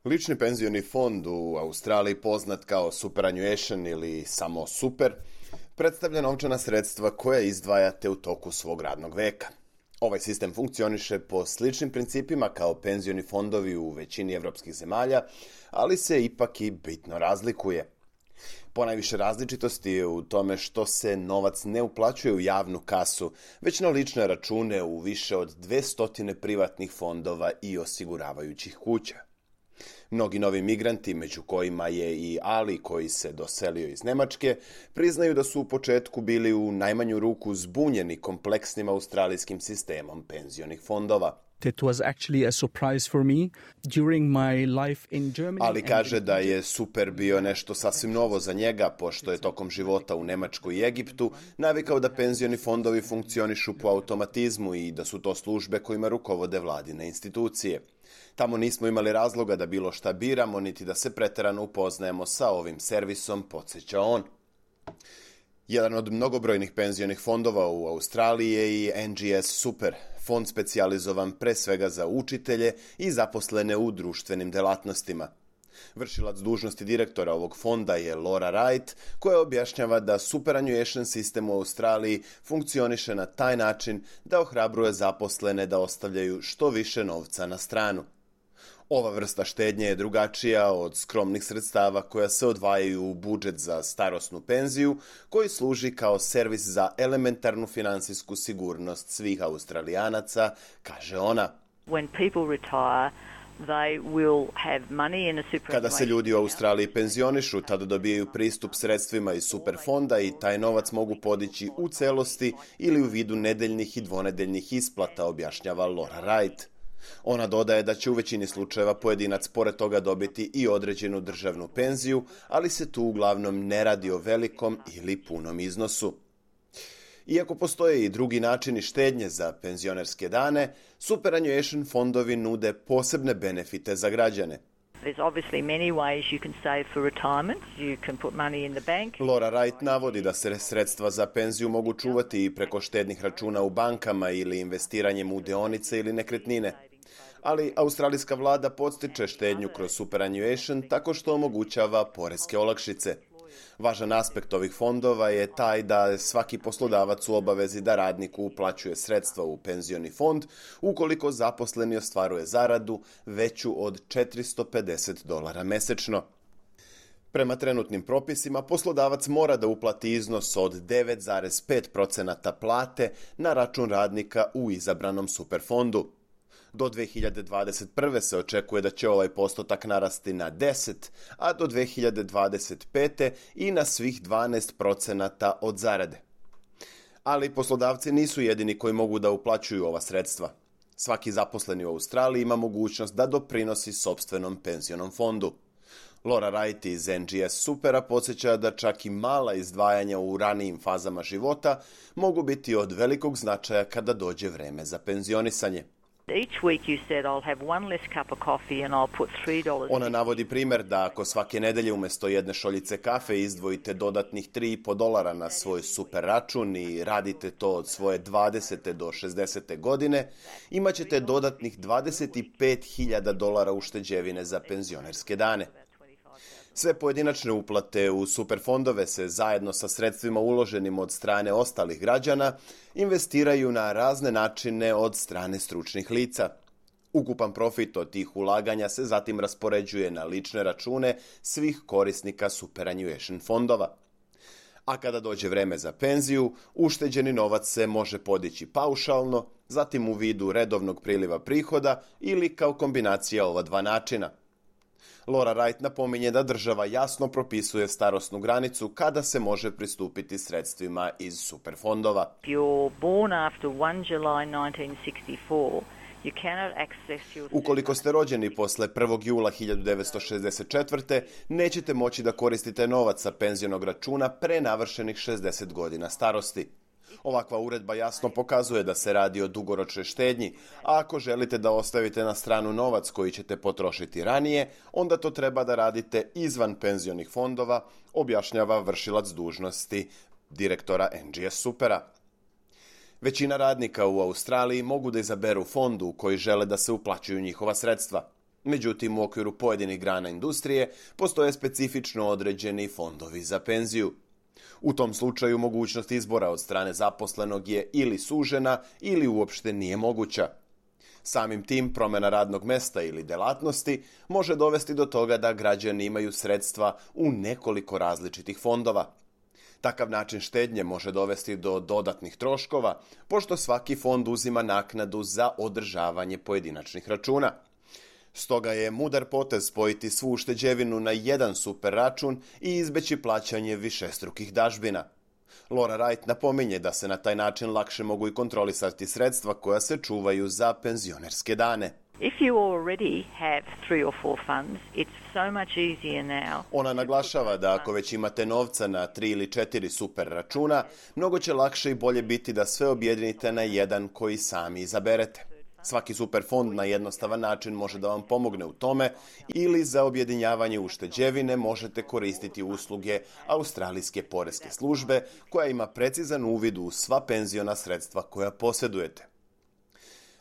Lični penzioni fond u Australiji, poznat kao superannuation ili samo super, predstavlja novčana sredstva koja izdvajate u toku svog radnog veka. Ovaj sistem funkcioniše po sličnim principima kao penzioni fondovi u većini evropskih zemalja, ali se ipak i bitno razlikuje. Ponajviše različitosti je u tome što se novac ne uplaćuje u javnu kasu, već na lične račune u više od 200 privatnih fondova i osiguravajućih kuća. Mnogi novi migranti, među kojima je i Ali koji se doselio iz Nemačke, priznaju da su u početku bili u najmanju ruku zbunjeni kompleksnim australijskim sistemom penzionih fondova. It was actually a surprise for me during my life in Germany. Ali kaže da je super bio nešto sasvim novo za njega, pošto je tokom života u Nemačkoj i Egiptu navikao da penzioni fondovi funkcionišu po automatizmu i da su to službe kojima rukovode vladine institucije. Tamo nismo imali razloga da bilo šta biramo, niti da se preterano upoznajemo sa ovim servisom, podsjeća on. Jedan od mnogobrojnih penzionih fondova u Australiji je i NGS Super, fond specijalizovan pre svega za učitelje i zaposlene u društvenim delatnostima. Vršilac dužnosti direktora ovog fonda je Laura Wright, koja objašnjava da superannuation sistem u Australiji funkcioniše na taj način da ohrabruje zaposlene da ostavljaju što više novca na stranu. Ova vrsta štednje je drugačija od skromnih sredstava koja se odvajaju u budžet za starosnu penziju, koji služi kao servis za elementarnu finansijsku sigurnost svih Australijanaca, kaže ona. When people retire, they will have money in a superannuation. Kada se ljudi u Australiji penzionišu, tada dobijaju pristup sredstvima iz superfonda i taj novac mogu podići u celosti ili u vidu nedeljnih i dvonedeljnih isplata, objašnjava Laura Wright. Ona dodaje da će u većini slučajeva pojedinac pored toga dobiti i određenu državnu penziju, ali se tu uglavnom ne radi o velikom ili punom iznosu. Iako postoje i drugi načini štednje za penzionerske dane, superannuation fondovi nude posebne benefite za građane. There's obviously many ways you can save for retirement. You can put money in the bank. Laura Wright navodi da se sredstva za penziju mogu čuvati i preko štednih računa u bankama ili investiranjem u dionice ili nekretnine. Ali australijska vlada podstiče štednju kroz superannuation tako što omogućava poreske olakšice. Važan aspekt ovih fondova je taj da svaki poslodavac u obavezi da radniku uplaćuje sredstva u penzioni fond ukoliko zaposleni ostvaruje zaradu veću od $450 mesečno. Prema trenutnim propisima, poslodavac mora da uplati iznos od 9,5% plate na račun radnika u izabranom superfondu. Do 2021. se očekuje da će ovaj postotak narasti na 10, a do 2025. i na svih 12% od zarade. Ali poslodavci nisu jedini koji mogu da uplaćuju ova sredstva. Svaki zaposleni u Australiji ima mogućnost da doprinosi sopstvenom penzionom fondu. Laura Wright iz NGS Supera podsjeća da čak i mala izdvajanja u ranijim fazama života mogu biti od velikog značaja kada dođe vreme za penzionisanje. Each week you said I'll have one less cup of coffee and I'll put $3. Ona navodi primjer da ako svake nedelje umjesto jedne šoljice kafe izdvojite dodatnih $3,5 na svoj super račun i radite to od svoje 20. do 60. godine, imat ćete dodatnih $25,000 ušteđevine za penzionerske dane. Sve pojedinačne uplate u superfondove se zajedno sa sredstvima uloženim od strane ostalih građana investiraju na razne načine od strane stručnih lica. Ukupan profit od tih ulaganja se zatim raspoređuje na lične račune svih korisnika superannuation fondova. A kada dođe vreme za penziju, ušteđeni novac se može podići paušalno, zatim u vidu redovnog priliva prihoda ili kao kombinacija ova dva načina. Laura Wright napominje da država jasno propisuje starosnu granicu kada se može pristupiti sredstvima iz superfondova. Ukoliko ste rođeni posle 1. jula 1964. nećete moći da koristite novac sa penzionog računa pre navršenih 60 godina starosti. Ovakva uredba jasno pokazuje da se radi o dugoročnoj štednji, a ako želite da ostavite na stranu novac koji ćete potrošiti ranije, onda to treba da radite izvan penzionih fondova, objašnjava vršilac dužnosti direktora NGS Supera. Većina radnika u Australiji mogu da izaberu fond u koji žele da se uplaćuju njihova sredstva. Međutim, u okviru pojedinih grana industrije postoje specifično određeni fondovi za penziju. U tom slučaju mogućnost izbora od strane zaposlenog je ili sužena ili uopšte nije moguća. Samim tim, promjena radnog mesta ili delatnosti može dovesti do toga da građani imaju sredstva u nekoliko različitih fondova. Takav način štednje može dovesti do dodatnih troškova, pošto svaki fond uzima naknadu za održavanje pojedinačnih računa. Stoga je mudar potez spojiti svu ušteđevinu na jedan super račun i izbeći plaćanje višestrukih dažbina. Laura Wright napominje da se na taj način lakše mogu i kontrolisati sredstva koja se čuvaju za penzionerske dane. If you already have 3 or 4 funds, it's so much easier now. Ona naglašava da ako već imate novca na 3 ili 4 super računa, mnogo će lakše i bolje biti da sve objedinite na jedan koji sami izaberete. Svaki super fond na jednostavan način može da vam pomogne u tome ili za objedinjavanje ušteđevine možete koristiti usluge Australijske poreske službe koja ima precizan uvid u sva penziona sredstva koja posjedujete.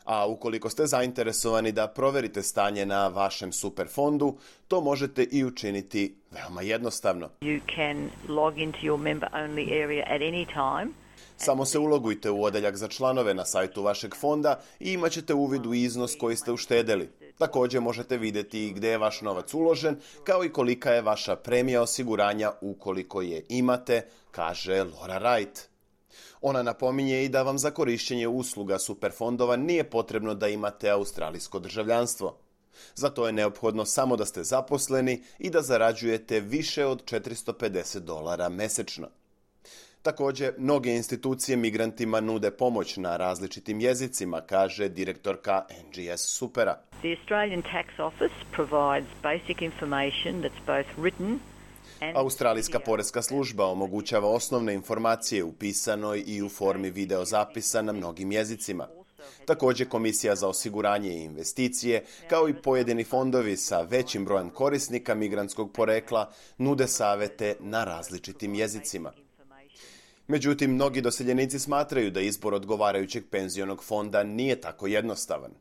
A ukoliko ste zainteresovani da proverite stanje na vašem super fondu, to možete i učiniti veoma jednostavno. You can log into your member only area at any time. Samo se ulogujte u odeljak za članove na sajtu vašeg fonda i imat ćete uvid u iznos koji ste uštedeli. Također možete vidjeti i gdje je vaš novac uložen, kao i kolika je vaša premija osiguranja ukoliko je imate, kaže Laura Wright. Ona napominje i da vam za korištenje usluga superfondova nije potrebno da imate australijsko državljanstvo. Zato je neophodno samo da ste zaposleni i da zarađujete više od $450 mesečno. Također, mnoge institucije migrantima nude pomoć na različitim jezicima, kaže direktorka NGS Supera. The Australian Tax Office provides basic information that's both written. Australijska poreska služba omogućava osnovne informacije u pisanoj i u formi videozapisa na mnogim jezicima. Također, Komisija za osiguranje i investicije, kao i pojedini fondovi sa većim brojem korisnika migrantskog porekla, nude savete na različitim jezicima. Međutim, mnogi doseljenici smatraju da izbor odgovarajućeg penzionog fonda nije tako jednostavan.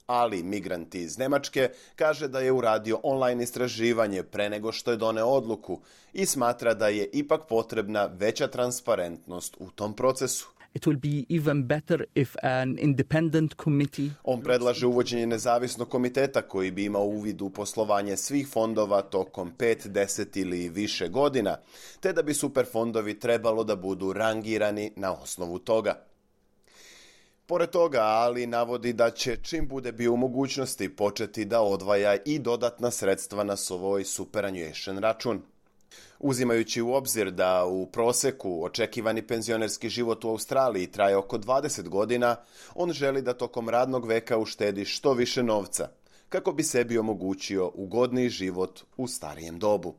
Ali migranti iz Njemačke kaže da je uradio online istraživanje pre nego što je doneo odluku i smatra da je ipak potrebna veća transparentnost u tom procesu. It will be even better if an independent committee... On predlaže uvođenje nezavisnog komiteta koji bi imao uvid u poslovanje svih fondova tokom 5, 10 ili više godina, te da bi superfondovi trebalo da budu rangirani na osnovu toga. Pored toga, Ali navodi da će čim bude bio u mogućnosti početi da odvaja i dodatna sredstva na svoj superannuation račun. Uzimajući u obzir da u proseku očekivani penzionerski život u Australiji traje oko 20 godina, on želi da tokom radnog veka uštedi što više novca, kako bi sebi omogućio ugodniji život u starijem dobu.